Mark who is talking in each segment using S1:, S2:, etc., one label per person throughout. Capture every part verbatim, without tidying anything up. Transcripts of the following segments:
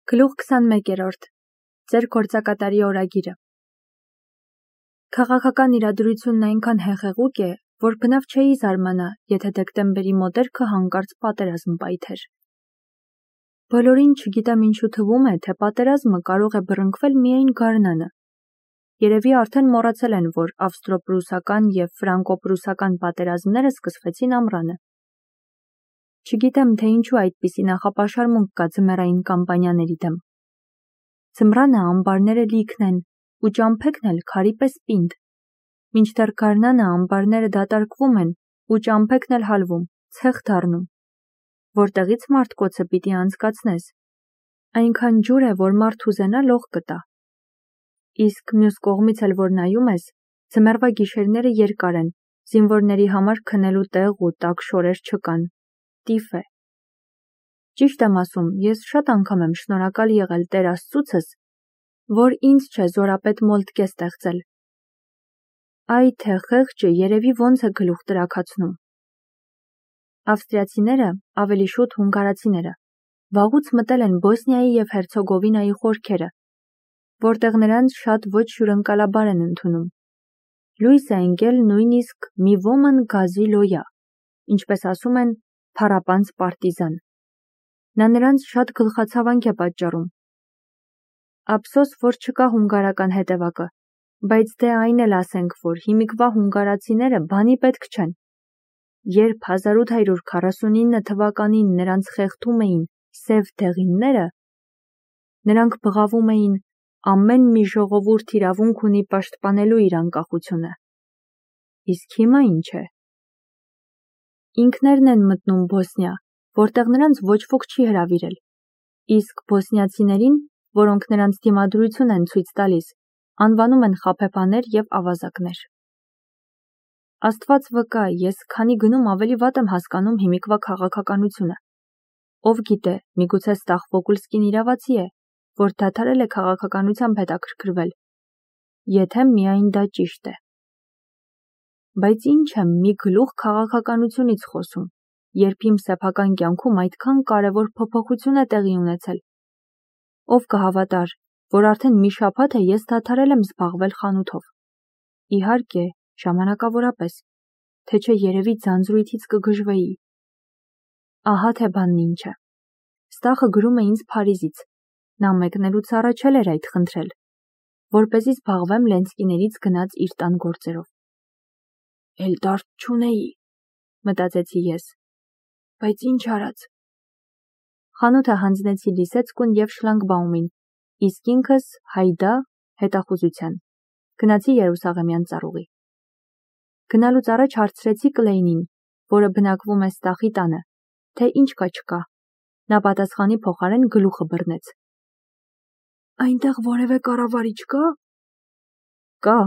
S1: Գլուխ քսանմեկերորդ. Ձեր գործակատարի օրագիրը։ Քաղաքական իրադրությունն այնքան հեղեղուկ է, որ բնավ չէի զարմանա, եթե դեկտեմբերի մոտերքը հանկարծ պատերազմ պայթեր։ Բոլորին չգիտեմ ինչու թվում է, թե պատերազմը կարող է բռնկվել միայն գարնանը։ Երևի արդեն մոռացել են, որ ավստրո-պրուսական և ֆրանկո-պրուսական պատերազմները սկսվեցին ամռանը։ Չգիտեմ, թե ինչու այդպիսի նախապաշարմունք կա ձմեռային կամպանիաների դեմ։ Ձմռանը ամբարները լիքն են, ու ճամփեքն էլ քարի պես պինդ։ Մինչդեռ գարնանը ամբարները դատարկվում են, ու ճամփեքն էլ հալվում, ցեխ դառնում։ Որտեղից մարդկոցը պիտի անցկացնես։ Այնքան ջուր է, որ մարդ ուզենա լող կտա։ Իսկ մյուս կողմից էլ որ նայում ես, ձմեռվա գիշերները երկար են, զինվորների համար քնելու տեղ ու տաք շորեր չկան։ Տիֆ է։ Ճիշտ եմ ասում, ես շատ անգամ եմ շնորհակալ եղել Տեր Աստծուցս, որ ինձ չէ զորապետ Մոլտկե ստեղծել։ Այ թե խեղճը երևի ոնց է գլուխ տրաքացնում։ Ավստրիացիները, ավելի շուտ հունգարացիները, վաղուց մտել են Բոսնիայի և Հերցեգովինայի խորքերը, որտեղ նրանց շատ ոչ հյուրընկալաբար են ընդունում։ Լուիս է ընկել նույնիսկ մի ոմն գազի լոյա, ինչպես ասում են, փառապանծ պարտիզան։ Նա նրանց շատ գլխացավանք է պատճառում։ Ափսոս, որ չկա հունգարական հետևակը, բայց դե այն էլ ասենք, որ հիմիկվա հունգարացիները բանի պետք չեն։ Երբ հազար ութ հարյուր քառասունինը թվականին նրանց խեղդում էին սև դեղինները, նրանք բղավում էին ամեն մի ժողովուրդ իրավունք ունի պաշտպանելու իր անկախությունը։ Իսկ հիմա ինչ է։ Ինքներն են մտնում Բոսնիա, որտեղ նրանց ոչ ոք չի հրավիրել, իսկ բոսնիացիներին, որոնք նրանց դիմադրություն են ցույց տալիս, անվանում են խաբեբաներ և ավազակներ։ Աստված վկա, ես քանի գնում ավելի վատ եմ հասկանում հիմիկվա քաղաքականությունը։ Ով գիտե, միգուցե Ստախվոկուլսկին իրավացի է, որ դադարել է քաղաքականությամբ հետաքրքրվել, եթե միայն դա ճիշտ է։ Բայց ինչ եմ մի գլուխ քաղաքականությունից խոսում, երբ իմ սեփական կյանքում այդքան կարևոր փոփոխություն է տեղի ունեցել։ Ով կհավատար, որ արդեն մի շաբաթ է ես դադարել եմ զբաղվել խանութով։ Իհարկե, ժամանակավորապես, թե չէ երևի ձանձրույթից կգժվեի։ Ահա թե բանն ինչ է։ Ստախը գրում է ինձ Փարիզից։ Նա մեկնելուց առաջ էլ էր այդ խնդրել, որպեսզի զբաղվեմ Լենսկիներից գնած իր տան գործերով։ Էլ դարդ չունեի, մտածեցի ես, բայց ինչ արած։ Խանութը հանձնեցի Լիսեցկուն և Շլանգբաումին, իսկ ինքս հայդա հետախուզության։ Գնացի Երուսաղեմյան ծառուղի։ Գնալուց առաջ հարցրեցի Կլեյնին, որը բնակվում է Ստախի տանը, թե ինչ կա չկա։ Նա պատասխանի փոխարեն գլուխը բռնեց։ Այնտեղ որևէ կառավարիչ կա։ Կա,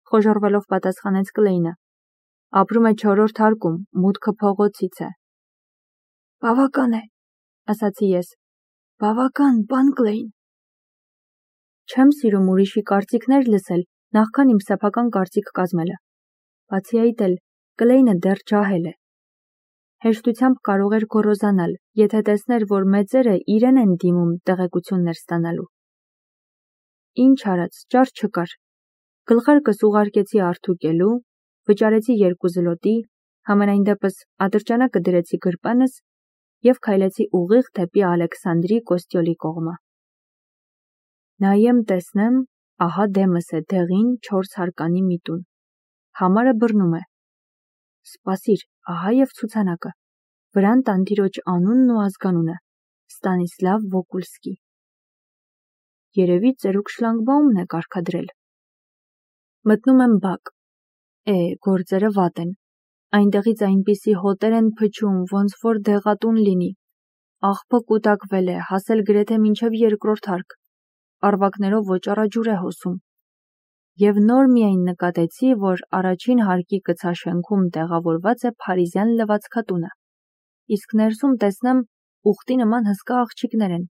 S1: խոժոռվելով պատասխանեց Կլեյնը։ Ապրում է չորրորդ հարկում, մուտքը փողոցից է։ Բավական է, ասացի ես։ Բավական, պան Կլեյն։ Չեմ սիրում ուրիշի կարծիքներ լսել, նախքան իմ սեփական կարծիք կազմելը։ Բացի այդ էլ, Կլեյնը դեռ ջահել է։ Հեշտությամբ կարող էր գոռոզանալ, եթե տեսներ, որ մեծերը իրեն են դիմում տեղեկություններ ստանալու։ Ինչ արած, ճար չկար։ Գլխարկս ուղարկեցի արթուկելու, վճարեցի երկու զլոտի, համենայն դեպս ատրճանակը դրեցի գրպանս և քայլեցի ուղիղ դեպի Ալեքսանդրի Կոստյոլի կողմը։ Նայեմ տեսնեմ, ահա դեմս է դեղին չորս հարկանի մի տուն։ Համարը բռնում է։ Սպասիր, ահա և ցուցանակը։ Վրան տանտիրոջ անունն ու ազգանունը՝ Ստանիսլավ Վոկուլսկի։ Երևի ծերուկ Շլանգբաումն է կարգադրել։ Մտնում եմ բակ։ Է, գործերը վատ են։ Այնտեղից այնպիսի հոտեր են փչում, ոնց որ դեղատուն լինի։ Աղբը կուտակվել է, հասել գրեթե մինչև երկրորդ հարկ։ Առվակներով ոճառաջուր է հոսում։ Եվ նոր միայն նկատեցի, որ առաջին հարկի կցաշենքում տեղավորված է փարիզյան լվացքատունը, իսկ ներսում տեսնեմ ուխտի նման հսկա աղջիկներ են,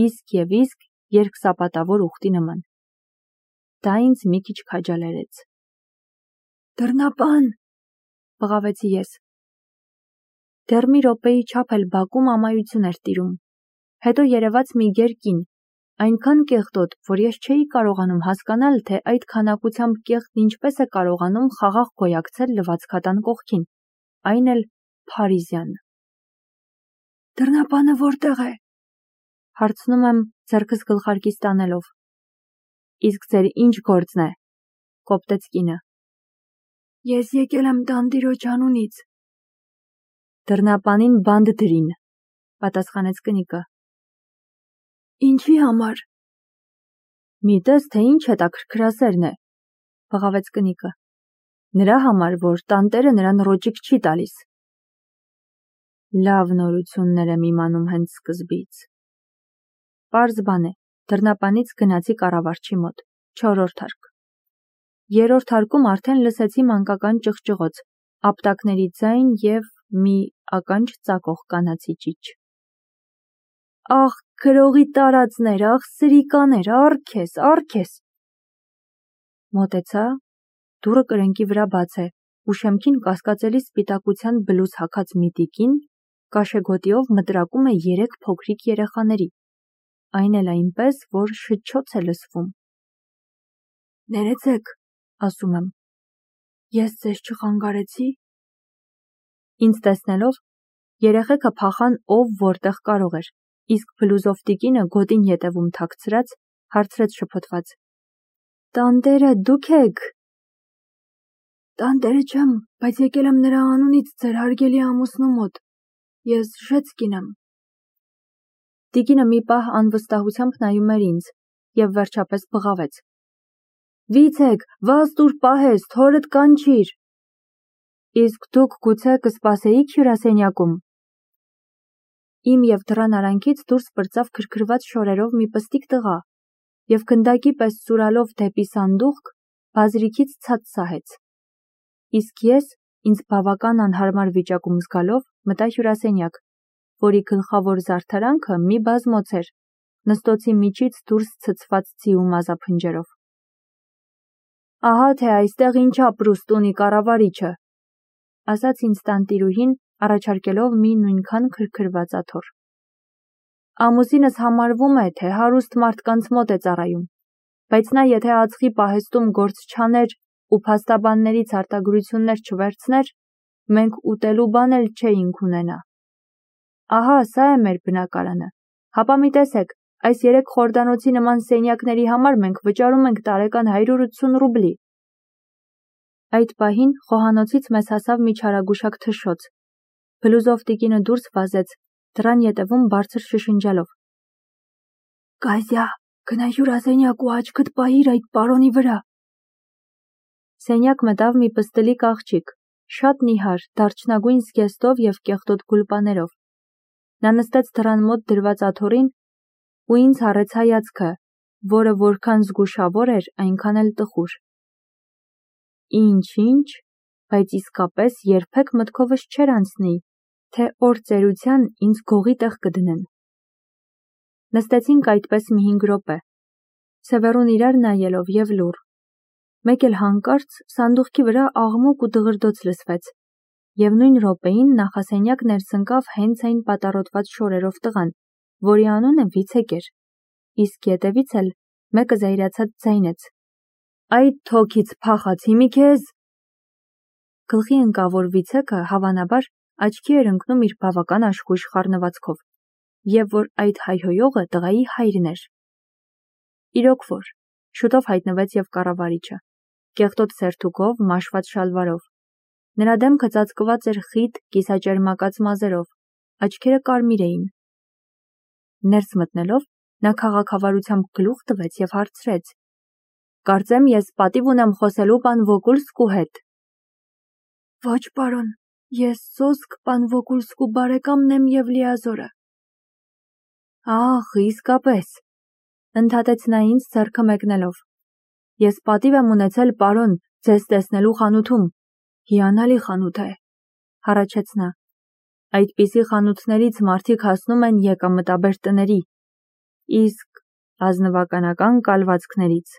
S1: իսկ և իսկ երկսապատավոր ուխտի նման։ Դա ինձ մի քիչ քաջալերեց։ Դռնապան, բղավեցի ես։ Դեռ մի րոպեի չափ էլ բակում ամայություն էր տիրում։ Հետո երևաց մի գեր կին, այնքան կեղտոտ, որ ես չէի կարողանում հասկանալ, թե այդ քանակությամբ կեղտն ինչպես է կարողանում խաղաղ գոյակցել լվացքատան կողքին, այն էլ Փարիզյան։ Դռնապանը որտեղ է, հարցնում եմ ձեռքս գլխարկից տանելով։ Իսկ ձեր ինչ գործն է, կոպտեց կինը։ Ես եկել եմ տանտիրոջ անունից։ Դռնապանին բանդ դրին, պատասխանեց կնիկը։ Ինչի համար։ Մի տես, թե ինչ հետաքրքրասերն է, բղավեց կնիկը։ Նրա համար, որ տանտերը նրան ռոճիկ չի տալիս։ Լավ նորություններ եմ իմանում հենց սկզբից։ Պարզ բան է, դռնապանից գնացի կառավարչի մոտ, չորրորդ հարկ։ Երրորդ հարկում արդեն լսեցի մանկական ճղճղոց, ապտակների ձայն և մի ականջ ծակող կանացի ճիչ։ Ախ, գրողի տարածներ, ախ, սրիկաներ, առ քեզ, առ քեզ։ Մոտեցա, դուռը կրնկի վրա բաց է, ու շեմքին կասկածելի սպիտակության բլուզ հագած մի տիկին կաշեգոտիով մտրակում է երեք փոքրիկ երեխաների, այն էլ այնպես, որ շչոց է լսվում։ Ներեցեք, ասում եմ, ես ձեզ չխանգարեցի։ Ինձ տեսնելով, երեխեքը փախան ով որտեղ կարող էր, իսկ բլուզով տիկինը գոտին ետևում թաքցրած, հարցրեց շփոթված. Տանտերը դուք եք։ Տանտերը չեմ, բայց եկել եմ նրա անունից ձեր հարգելի ամուսնու մոտ։ Ես Ժեցկին եմ։ Տիկինը մի պահ անվստահությամբ նայում էր ինձ և վերջապես բղավեց. Վիցեք, վազ տուր պահես, թորդ կանչիր։ Իսկ դուք գուցե կսպասեիք հյուրասենյակում։ Իմ և դռան արանքից դուրս պրծավ քրքրված շորերով մի պստիկ տղա և գնդակի պես սուրալով դեպի սանդուղք բազրիքից ցած սահեց։ Իսկ ես, ինձ բավական անհարմար վիճակում զգալով, մտա հյուրասենյակ, որի գլխավոր զարդարանքը մի բազմոց էր, նստոցի միջից դուրս ցցված ձիու մազափնջերով։ Ահա թե այստեղ ինչ ապրուստ ունի կառավարիչը, ասաց ինձ տանտիրուհին, առաջարկելով մի նույնքան քրքրված աթոռ։ Ամուսինս համարվում է, թե հարուստ մարդկանց մոտ է ծառայում, բայց նա եթե ածխի պահեստում գործ չաներ ու փաստաբաններից արտագրություններ չվերցներ, մենք ուտելու բան էլ չէինք ունենա։ Ահա սա է մեր բնակարանը, հապա մի տեսեք, այս երեք խորդանոցի նման սենյակների համար մենք վճարում ենք տարեկան հարյուր ութսուն ռուբլի։ Այդ պահին խոհանոցից մեզ հասավ մի չարագուշակ թշոց։ Բլուզով տիկինը դուրս վազեց, դռան ետևում բարձր շշնջալով. Կազյա, գնա հյուրասենյակ ու աչքդ պահիր այդ պարոնի վրա։ Սենյակ մտավ մի պստլիկ աղջիկ, շատ նիհար, դարչնագույն զգեստով և կեղտոտ գուլպաներով։ Նա նստեց դռան մոտ դրված աթոռին ու ինձ հառեց հայացքը, որը որքան զգուշավոր էր, այնքան էլ տխուր։ Ինչ-ինչ, բայց իսկապես երբեք մտքովս չէր անցնի, թե օր ծերության ինձ գողի տեղ կդնեն։ Նստեցինք այդպես մի հինգ րոպե, սևեռուն իրար նայելով և լուռ։ Մեկ էլ հանկարծ սանդուղքի վրա աղմուկ ու դղրդոց լսվեց, և նույն րոպեին նախասենյակ ներս ընկավ հենց այն պատառոտված շորերով տղան, որի անունը Վիցեկ էր, իսկ ետևից էլ մեկը զայրացած ձայնեց. Այդ թոքից փախած հիմի քեզ։ Գլխի ընկավ, որ Վիցեկը հավանաբար աչքի էր ընկնում իր բավական աշխույժ խառնվածքով, և որ այդ հայհոյողը տղայի հայրն էր։ Իրոք որ, շուտով հայտնվեց և կառավարիչը, կեղտոտ սերթուկով, մաշված շալվարով։ Նրա դեմքը ծածկված էր խիտ, կիսաճերմակած մազերով, աչքերը կարմիր էին։ Ներս մտնելով, նա քաղաքավարությամբ գլուխ տվեց և հարցրեց. Կարծեմ ես պատիվ ունեմ խոսելու պան Վոկուլսկու հետ։ Ոչ, պարոն, ես սոսկ պան Վոկուլսկու բարեկամն եմ և լիազորը։ Ախ, իսկապես, ընդհատեց նա ինձ ձեռքը մեկնելով։ Ես պատիվ եմ ունեցել, պարոն, ձեզ տեսնելու խանութում, հիանալի խանութ է, հառաչեց նա։ Այդպիսի խանութներից մարդիկ հասնում են եկամտաբեր տների, իսկ ազնվականական կալվածքներից,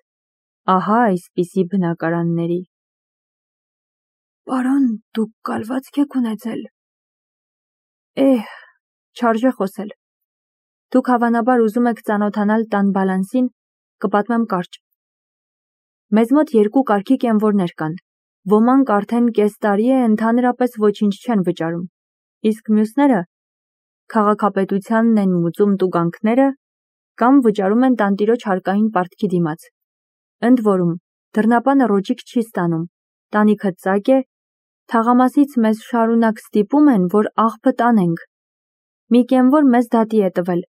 S1: ահա այսպիսի բնակարանների։ Պարոն, դուք կալվածք եք ունեցել։ Էհ, չարժե խոսել։ Դուք հավանաբար ուզում եք ծանոթանալ տան բալանսին, կպատմեմ կարճ։ Մեզ մոտ երկու կարգի կենվորներ կան։ Ոմանք արդեն կես տարի է ընդհանրապես ոչինչ չեն վճարում, իսկ մյուսները քաղաքապետությանն են մուծում տուգանքները կամ վճարում են տանտիրոջ հարկային պարտքի դիմաց։ Ընդ որում, դռնապանը ռոճիկ չի ստանում, տանիքը ծակ է, թաղամասից մեզ շարունակ ստիպում են, որ աղբը տանենք։ Մի կենվոր մեզ դատի է տվել,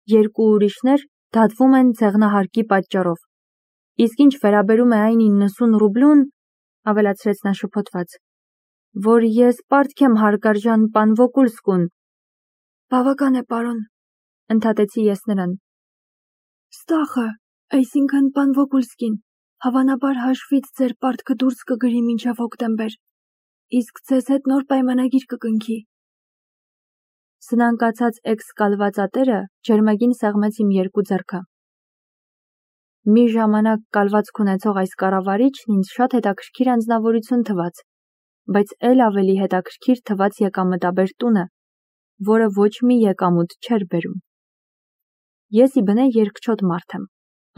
S1: երկու ուրիշներ դատվում են ձեղնահարկի պատճառով։ Իսկ ինչ վերաբերում է այն իննսուն ռուբլուն, ավելացրեց նա շփոթված, որ ես պարտք եմ հարգարժան պան Վոկուլսկուն։ Բավական է, պարոն, ընդհատեցի ես նրան։ Ստախը, այսինքն պան Վոկուլսկին, հավանաբար հաշվից ձեր պարտքը դուրս կգրի մինչև հոկտեմբեր, իսկ ձեզ հետ նոր պայմանագիր կկնքի։ Սնանկացած էքս-կալվածատերը ջերմագին սեղմեց իմ երկու ձեռքը։ Մի ժամանակ կալվածք ունեցող այս կառավարիչն ինձ շատ հետաքրքիր անձնավորություն թվաց, բայց էլ ավելի հետաքրքիր թվաց եկամտաբեր տունը, որը ոչ մի եկամուտ չէր բերում։ Ես ի բնե երկչոտ մարդ եմ,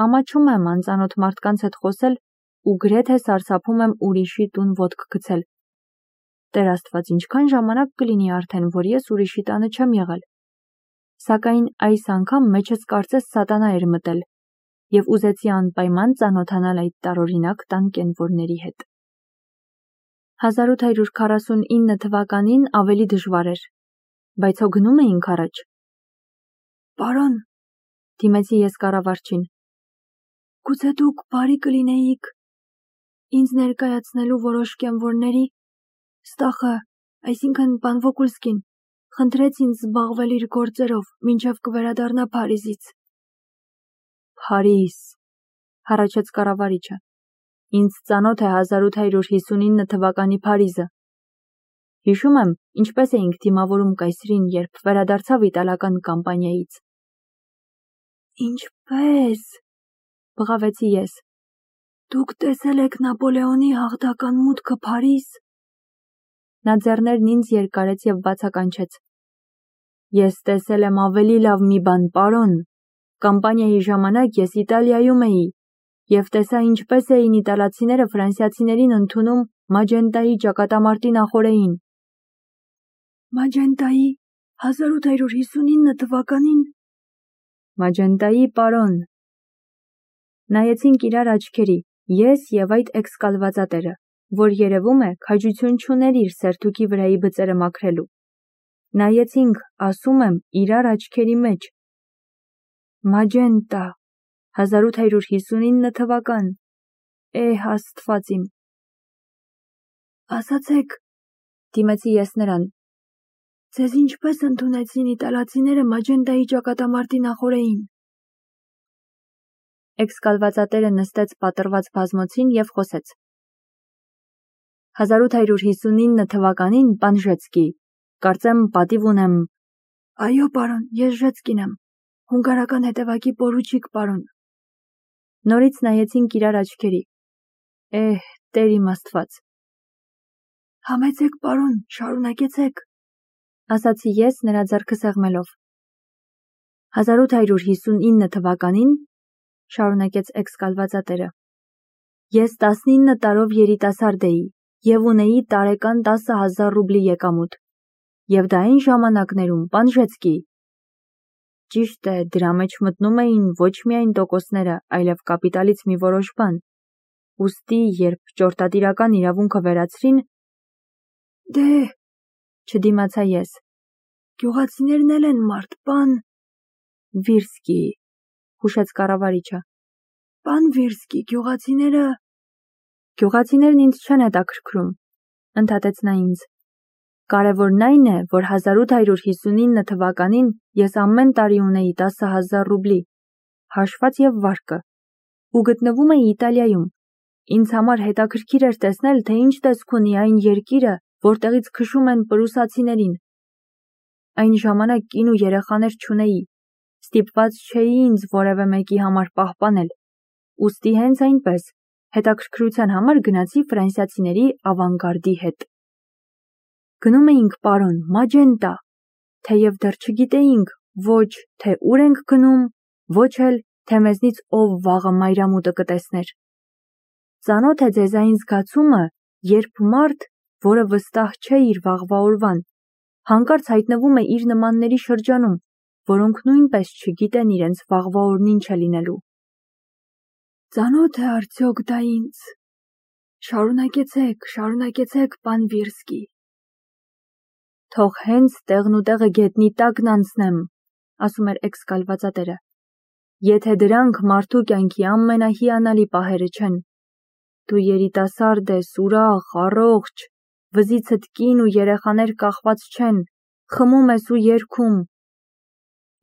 S1: ամաչում եմ անծանոթ մարդկանց հետ խոսել ու գրեթե սարսափում եմ ուրիշի տուն ոտք գցել։ Տեր Աստված, ինչքան ժամանակ կլինի արդեն, որ ես ուրիշի տանը չեմ եղել։ Սակայն այս անգամ մեջս կարծես սատանա էր մտել, եւ ուզեցի անպայման ծանոթանալ այդ տարօրինակ տան կենվորների հետ։ հազար ութ հարյուր քառասունինը թվականին ավելի դժվար էր, բայց հո գնում էինք առաջ։ Պարոն, դիմեցի ես կառավարչին, գուցե դուք բարի կլինեիք ինձ ներկայացնելու որոշ կենվորների, Ստախը, այսինքն պան Վոկուլսկին, խնդրեց ինձ զբաղվել իր գործերով, մինչև կվերադառնա Փարիզից։ Փարիզ, հառաչեց կառավարիչը, ինձ ծանոթ է հազար ութ հարյուր հիսունինը թվականի Փարիզը։ Հիշում եմ, ինչպես էինք դիմավորում կայսրին, երբ վերադարձավ իտալական կամպանիայից։ Ինչպես, բղավեցի ես, դուք տեսել եք Նապոլեոնի հաղթական մուտքը Փարիզ։ Նա ձեռներն ինձ երկարեց և բացականչեց. Ես տեսել եմ ավելի լավ մի բան, պարոն, կամպանիայի ժամանակ ես Իտալիայում էի և տեսա ինչպես էին իտալացիները ֆրանսիացիներին ընդունում Մաջենտայի ճակատամարտի նախօրեին։ Մաջենտայի հազար ութ հարյուր հիսունինը թվականին։ Մաջենտայի, պարոն։ Նայեցինք իրար աչքերի, ես և այդ էքս-կալվածատերը, որ երևում է քաջություն չուներ իր սերթուքի վրայի բծերը մաքրելու։ Նայեցինք, ասում եմ, իրար աչքերի մեջ։ Մաջենտա, հազար ութ հարյուր հիսունինը թվական, էհ Աստված իմ։ Ասացեք, դիմեցի ես նրան, ձեզ ինչպես ընդունեցին իտալացիները Մաջենտայի ճակատամարտի նախօրեին։ Էքս-կալվածատերը նստեց պատռված բազմոցին և խոսեց։ հազար ութ հարյուր հիսունինը թվականին, պան Ժեցկի, կարծեմ պատիվ ունեմ։ Այո, պարոն, ես Ժեցկին եմ, հունգարական հետևակի պորուչիկ, պարոն։ Նորից նայեցինք իրար աչքերի։ Էհ, Տեր իմ Աստված։ Համեցեք, պարոն, շարունակեցեք, ասացի ես նրա ձեռքը սեղմելով։ հազար ութ հարյուր հիսունինը թվականին, շարունակեց էքս-կալվածատերը, ես տասնինը տարով երիտասարդ էի և ունեի տարեկան տասը հազար ռուբլի եկամուտ, և դա այն ժամանակներում, պան Ժեցկի։ Ճիշտ է, դրա մեջ մտնում էին ոչ միայն տոկոսները, այլև կապիտալից մի որոշ բան։ Ուստի, երբ ճորտատիրական իրավունքը վերացրին, դե, չդիմացա ես, գյուղացիներն էլ են մարդ, պան Վիրսկի, հուշեց կառավարիչը։ Պան Վիրսկի, գյուղացիները… Գյուղացիներն ինձ չեն հետաքրքրում, ընդհատեց նա ինձ։ Կարևորն այն է, որ հազար ութ հարյուր հիսունինը թվականին ես ամեն տարի ունեի տասը հազար ռուբլի, հաշված և վարկը, ու գտնվում էի Իտալիայում։ Ինձ համար հետաքրքիր էր տեսնել, թե ինչ տեսք ունի այն երկիրը, որտեղից քշում են պրուսացիներին։ Այն ժամանակ կին ու երեխաներ չունեի, ստիպված չէի ինձ որևէ մեկի համար պահպանել, ուստի հենց այնպես, հետաքրքրության համար գնացի ֆրանսիացիների ավանգարդի հետ։ Գնում էինք, պարոն, Մաջենտա, թեև դեռ չգիտեինք, ոչ թե ուր ենք գնում, ոչ էլ թե մեզնից ով վաղը մայրամուտը կտեսներ։ Ծանոթ է ձեզ այն զգացումը, երբ մարդ, որը վստահ չէ իր վաղվա օրվան, հանկարծ հայտնվում է իր նմանների շրջանում, որոնք նույնպես չգիտեն իրենց վաղվա օրն ինչ է լինելու։ Ծանոթ է արդյոք դա ինձ։ Շարունակեցեք, շարունակեցեք, պան Վիրսկի։ Թող հենց տեղն ու տեղը գետնի տակն անցնեմ, ասում էր էքսկալվածատերը։ Եթե դրանք մարդու կյանքի ամենահիանալի պահերը չեն։ Դու երիտասարդ ես, ուրախ, առողջ, վզիցդ կին ու երեխաներ կախված չեն, խմում ես ու երգում։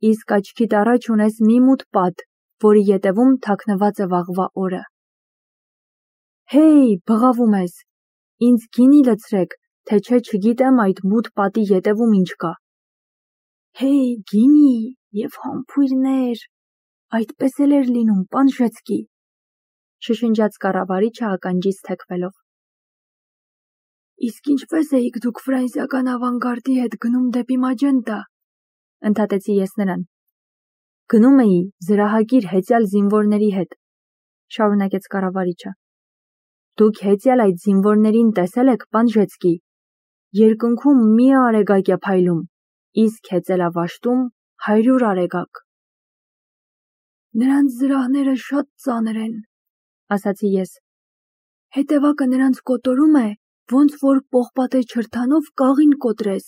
S1: Իսկ աչքիդ առաջ ունես մի մութ պատ, որի ետևում թաքնված է վաղվա օրը։ Հեյ, բղավում ես, ինձ գինի լցրեք, թե չէ չգիտեմ այդ մութ պատի ետևում ինչ կա։ Հեյ, գինի և համբույրներ, այդպես էլ էր լինում, պան Ժեցկի, շշնջաց կառավարիչը ականջից թեքվելով։ Իսկ ինչպես էիք դուք ֆրանսիական ավանգարդի հետ գնում դեպի Մաջենտա, ընդհատեցի ես նրան։ Գնում էի զրահագիր հեծյալ զինվորների հետ, շարունակեց կառավարիչը։ Դուք հեծյալ այդ զինվորներին տեսել եք, պան Ժեցկի, երկնքում մի արեգակ է փայլում, իսկ հեծելավաշտում հարյուր արեգակ։ Նրանց զրահները շատ ծանր են, ասացի ես։ Հետևակը նրանց կոտորում է, ոնց որ պողպատե չրթանով կաղին կոտրես։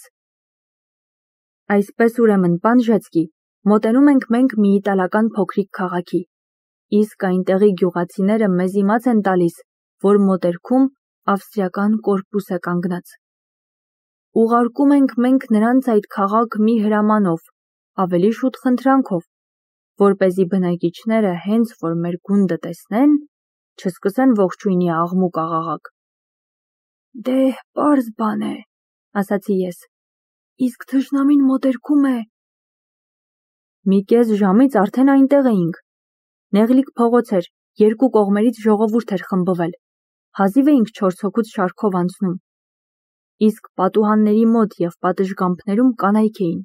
S1: Այսպես ուրեմն, պան Ժեցկի, մոտենում ենք մենք մի իտալական փոքրիկ քաղաքի, իսկ այնտեղի գյուղացիները մեզ իմաց են տալիս, որ մոտերքում ավստրիական կորպուս է կանգնած։ Ուղարկում ենք մենք նրանց այդ քաղաք մի հրամանով, ավելի շուտ խնդրանքով, որպեսզի բնակիչները հենց որ մեր գունդը տեսնեն, չսկսեն ողջույնի աղմուկ աղաղակ։ Դե, պարզ բան է, ասացի ես, իսկ թշնամին մոտերքում է։ Մի կես ժամից արդեն այնտեղ էինք։ Նեղլիկ փողոց էր, երկու կողմերից ժողովուրդ էր խմբվել, հազիվ էինք չորս հոգուց շարքով անցնում։ Իսկ պատուհանների մոտ և պատշգամբներում կանայք էին։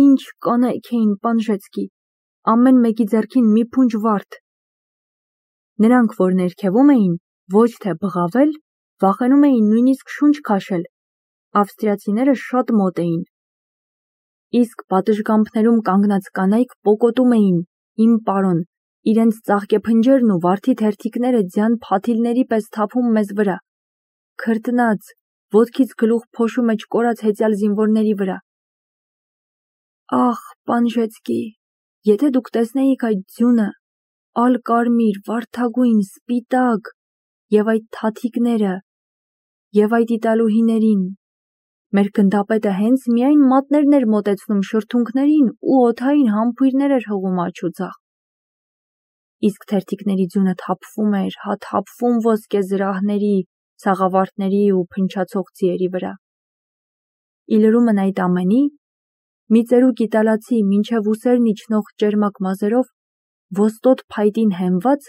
S1: Ինչ կանայք էին, պան Ժեցկի, ամեն մեկի ձեռքին մի փունջ վարդ։ Նրանք, որ ներքևում էին, ոչ թե բղավել, վախենում էին նույնիսկ շունչ քաշել, ավստրիացիները շատ մոտ էին։ Իսկ պատշգամբներում կանգնած կանայք պոկոտում էին, իմ պարոն, իրենց ծաղկեփնջերն ու վարդի թերթիկները ձյան փաթիլների պես թափում մեզ վրա, քրտնած, ոտքից գլուխ փոշու մեջ կորած հեծյալ զինվորների վրա։ Ախ, պան Ժեցկի, եթե դուք տեսնեիք այդ ձյունը, ալ-կարմիր, վարդագույն, սպիտակ, և այդ թաթիկները, և այդ իտալուհիներին, մեր գնդապետը հենց միայն մատներն էր մոտեցնում շրթունքներին ու օդային համբույրներ էր հղում աջ ու ձախ։ Իսկ թերթիկների ձյունը թափվում էր, հա թափվում ոսկե զրահների, սաղավարտների ու փնչացող ձիերի վրա։ Իլրումն այդ ամենի, մի ծերուկ իտալացի մինչև ուսերն իջնող ճերմակ մազերով, ոստոտ փայտին հենված,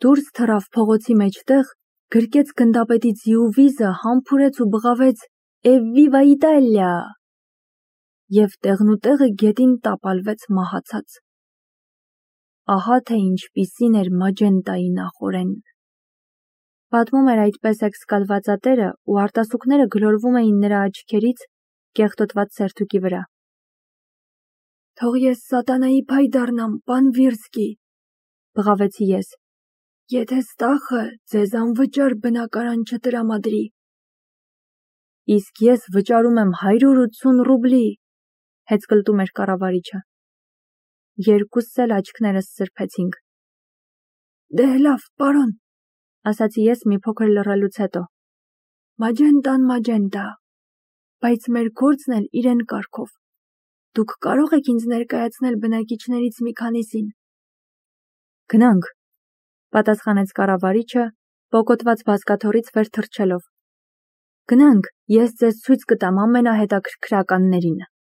S1: դուրս թռավ փողոցի մեջտեղ, գրկեց գնդապետի ձիու վիզը, համբուրեց ու բղավեց «Էվվիվա Իտալիա» և տեղնուտեղը գետին տապալվեց մահացած։ Ահա թե ինչպիսին էր Մաջենտայի նախօրենն։ Պատմում էր այդպես էքսկալվածատերը ու արտասուքները գլորվում էին նրա աչքերից կեղտոտված սերթուկի վրա։ Թող ես սատանայի փայ դառնամ, պան Վիրսկի, բղավեցի ես, եթե ստախը ձեզ անվճար բնակարան չտրամադրի։ Իսկ ես վճարում եմ հարյուր ութսուն ռուբլի, հեծկլտում էր կառավարիչը։ Երկուսս էլ աչքներս սրբեցինք։ Դե լավ, պարոն, ասացի ես մի փոքր լռելուց հետո։ Մաջենտան Մաջենտա, բայց մեր գործն էլ իրեն կարգով։ Դուք կարող եք ինձ ներկայացնել բնակիչներից մի քանիսին։ Գնանք, պատասխանեց կառավարիչը, պոկոտված բազկաթոռից վեր թռչելով։ Գնանք, ես ձեզ ցույց կտամ ամենահետաքրքրականներին։